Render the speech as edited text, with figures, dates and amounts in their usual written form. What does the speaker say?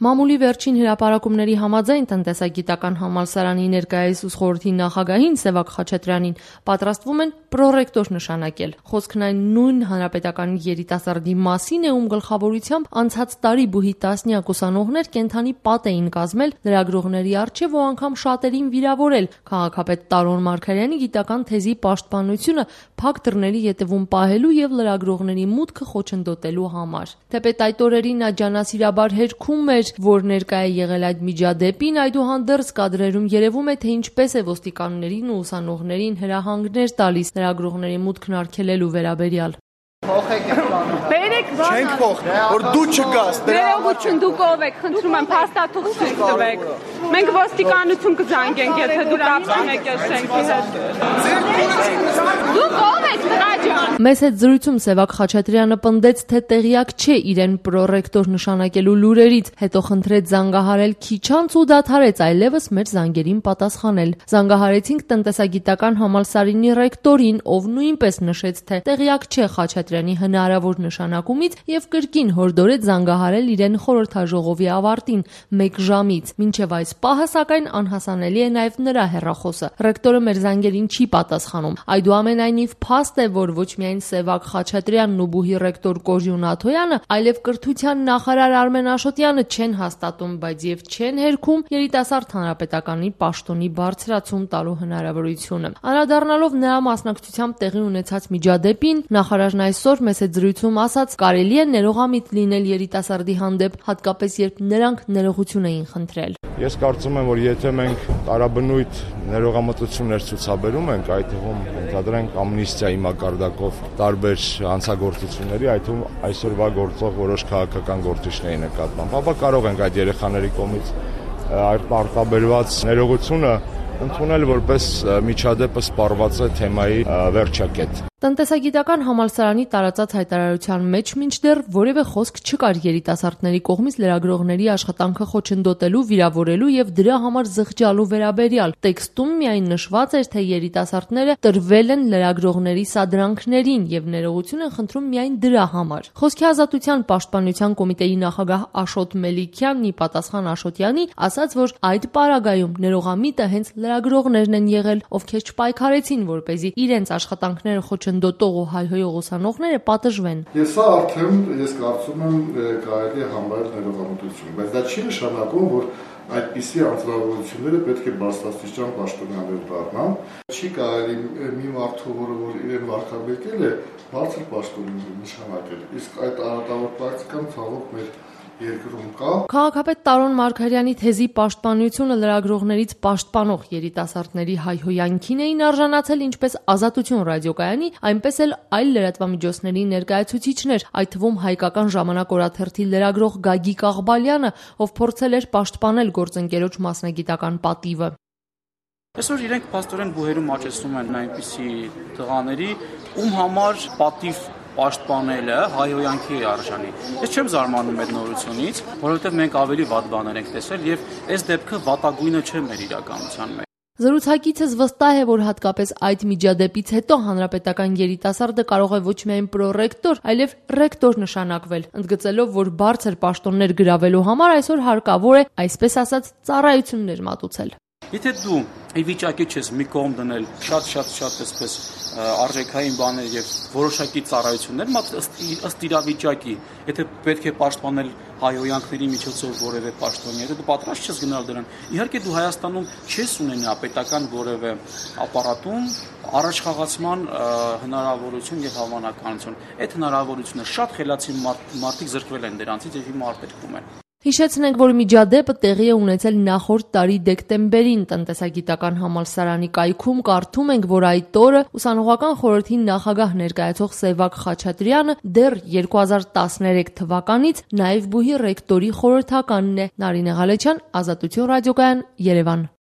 Մամուլի վերջին հրապարակումների համաձայն տնտեսագիտական համալսարանի ներկայիս ուսխորհրդի նախագահին Սևակ Խաչատրյանին պատրաստվում են պրոռեկտոր նշանակել։ Խոսքն այն նույն հանրապետական երիտասարդի մասին է, ում գլխավորությամբ անցած տարի բուհի տասնյակ ուսանողներ կենդանի պատ էին կազմել լրագրողների առջև ու անգամ շատերին վիրավորել։ Քաղաքապետ Տարոն Մարգարյանի գիտական թեզի պաշտպանությունը փակ դռների ետևում պահելու եւ լրագրողների մուտքը խոչընդոտելու համար։ Թեպետ այդ օրերին նա ջանասիրաբար հերքում էր, որ ներկա է եղել այդ միջադեպին, այդուհանդերձ կադրերում երևում է, թե ինչպես է ոստիկաններին ու ուսանողներին հրահանգներ տալիս լրագրողների մուտքն արգելելու վերաբերյալ։ Բերեք բանը։ Չենք փոխ, որ դու չգաս։ Ներողություն, դուք ով եք, խնդրում եմ, փաստաթուղթ ցույց տվեք։ Մենք ոստիկանություն կզանգենք, եթե դուք կապ ունեք այս շենքի հետ։ Դուք ով եք, տղա ջան։ Մեզ հետ զրույցում Սևակ Խաչատրյանը պնդեց, թե տեղյակ չէ իրեն պրոռեկտոր նշանակելու լուրերից, հետո խնդրեց զանգահարել քիչ անց ու դադարեց այլևս մեր զանգերին պատասխանել։ Զանգահարեցինք տնտեսագիտական համալսարանի ռեկտորին, ով նույնպես նշեց, թե տեղյակ չէ Խաչատրյանի հնարավոր նշանակումից եւ կրկին հորդորեց զանգահարել իրեն խորհրդաժողովի ավարտին 1 ժամից։ Մինչեւ այս պահը սակայն անհասանելի է նաեւ նրա հեռախոսը։ Ռեկտորը մեր զանգերին չի պատասխանում։ Այդուամենայնիվ փաստ է, որ ոչ միայն Սևակ Խաչատրյանն ու բուհի ռեկտոր Կոժյուն Աթոյանը, այլև կրթության նախարար Արմեն Աշոտյանը չեն հաստատում, բայց եւ չեն հերքում երիտասարդ հանրապետականի պաշտոնի բարձրացում տալու հնարավորությունը։ Անդրադառնալով նրա մասնակցությամբ տեղի ունեցած միջադեպին, նախարարն այսօր մեծ զրույցում ասաց, կարելի է ներողամիտ լինել երիտասարդի հանդեպ, հատկապես երբ նրանք ներողություն էին խնդրել։ Ես կարծում եմ, որ եթե մենք տարաբնույթ ներողամտություններ ցուցաբերում ենք, այդ թվում ընդհանրենք ամնիստիայի մակարդակով տարբեր հանցագործությունների, այդ թվում այսօրվա գործող որոշ քաղաքական գործիչների նկատմամբ, ապա կարող ենք այդ երեխաների կողմից արտաբերված ներողությունը ընդունել որպես միջադեպը սպառված է թեմայի վերջակետ։ Տնտեսագիտական համալսարանի տարածած հայտարարության մեջ մինչդեռ որևէ խոսք չկար երիտասարդների կողմից լրագրողների աշխատանքը խոչընդոտելու, վիրավորելու եւ դրա համար զղջալու վերաբերյալ։ Տեքստում միայն նշված էր, թե երիտասարդները տրվել են լրագրողների սադրանքներին եւ ներողություն են խնդրում միայն դրա համար։ Խոսքի ազատության պաշտպանության կոմիտեի նախագահ Աշոտ Մելիքյանն ի պատասխան Աշոտյանի ասաց, որ այդ պարագայում ներողամիտը հենց լրագրողներն են եղել, ովքեր չպայքարեցին, որպեսզի իրենց աշխատանքները խոչընդոտող ու հայհոյող ուսանողները պատժվեն։ Սա արդեն ես կարծում եմ կարելի է համարել ներողամտություն, բայց դա չի նշանակում, որ այդպիսի անձնավորությունները պետք է բարձրաստիճան պաշտոնյաներ դառնան։ Չի կարելի մի մարդու, որ իրեն վարկաբեկել է, բարձր պաշտոնյա նշանակել։ Իսկ այդ արատավոր պրակտիկան ցավոք մեր երկրում կա։ Քաղաքապետ Տարոն Մարգարյանի թեզի պաշտպանությունը լրագրողներից պաշտպանող երիտասարդների հայհոյանքին էին արժանացել ինչպես Ազատություն ռադիոկայանի, այնպես էլ այլ լրատվամիջոցների ներկայացուցիչներ, այդ թվում Հայկական ժամանակ օրաթերթի լրագրող Գագիկ Աղբալյանը, ով փորձել էր պաշտպանել գործընկերոջ մասնագիտական պատիվը։ Այսօր իրենք փաստորեն բուհերում աճեցնում են այնպիսի տղաների, ում համար պատիվ պաշտպանելը հայհոյանքի է արժանի։ Ես չեմ զարմանում այդ նորությունից, որովհետև մենք ավելի վատ բաներ ենք տեսել եւ այս դեպքը վատագույնը չէ մեր իրականության մեջ։ Զրուցակիցս վստահ է, որ հատկապես այդ միջադեպից հետո հանրապետական երիտասարդը կարող է ոչ միայն պրոռեկտոր, այլև ռեկտոր նշանակվել, ընդգծելով, որ բարձր պաշտոններ գրավելու համար այսօր հարկավոր է, այսպես ասած, ծառայություններ մատուցել։ Եթե դու ի վիճակի ես մի կողմ դնել շատ այսպես արժեքային բաներ եւ որոշակի ծառայություններ, ըստ իրավիճակի, եթե պետք է պաշտպանել հայհոյանքների միջոցով որևէ պաշտոնյա, եթե դու պատրաստ ես գնալ դրան, իհարկե դու Հայաստանում չես ունենա պետական որևէ ապարատում առաջխաղացման հնարավորություն եւ հավանականություն։ Այդ հնարավորությունը շատ խելացի մարդիկ զրկվել են դրանցից եւ հիմա արտերկվում են։ Հիշեցնենք, որ միջադեպը տեղի է ունեցել նախորդ տարի դեկտեմբերին տնտեսագիտական համալսարանի կայքում, կարդում ենք, որ այդ օրը ուսանողական խորհրդի նախագահ ներկայացող Սևակ Խաչատրյանը դեռ 2013 թվականից նաև բուհի ռեկտորի խորհրդականն է։ Նարինե Ղալեչյան, Ազատություն ռադիոկայան, Երևան։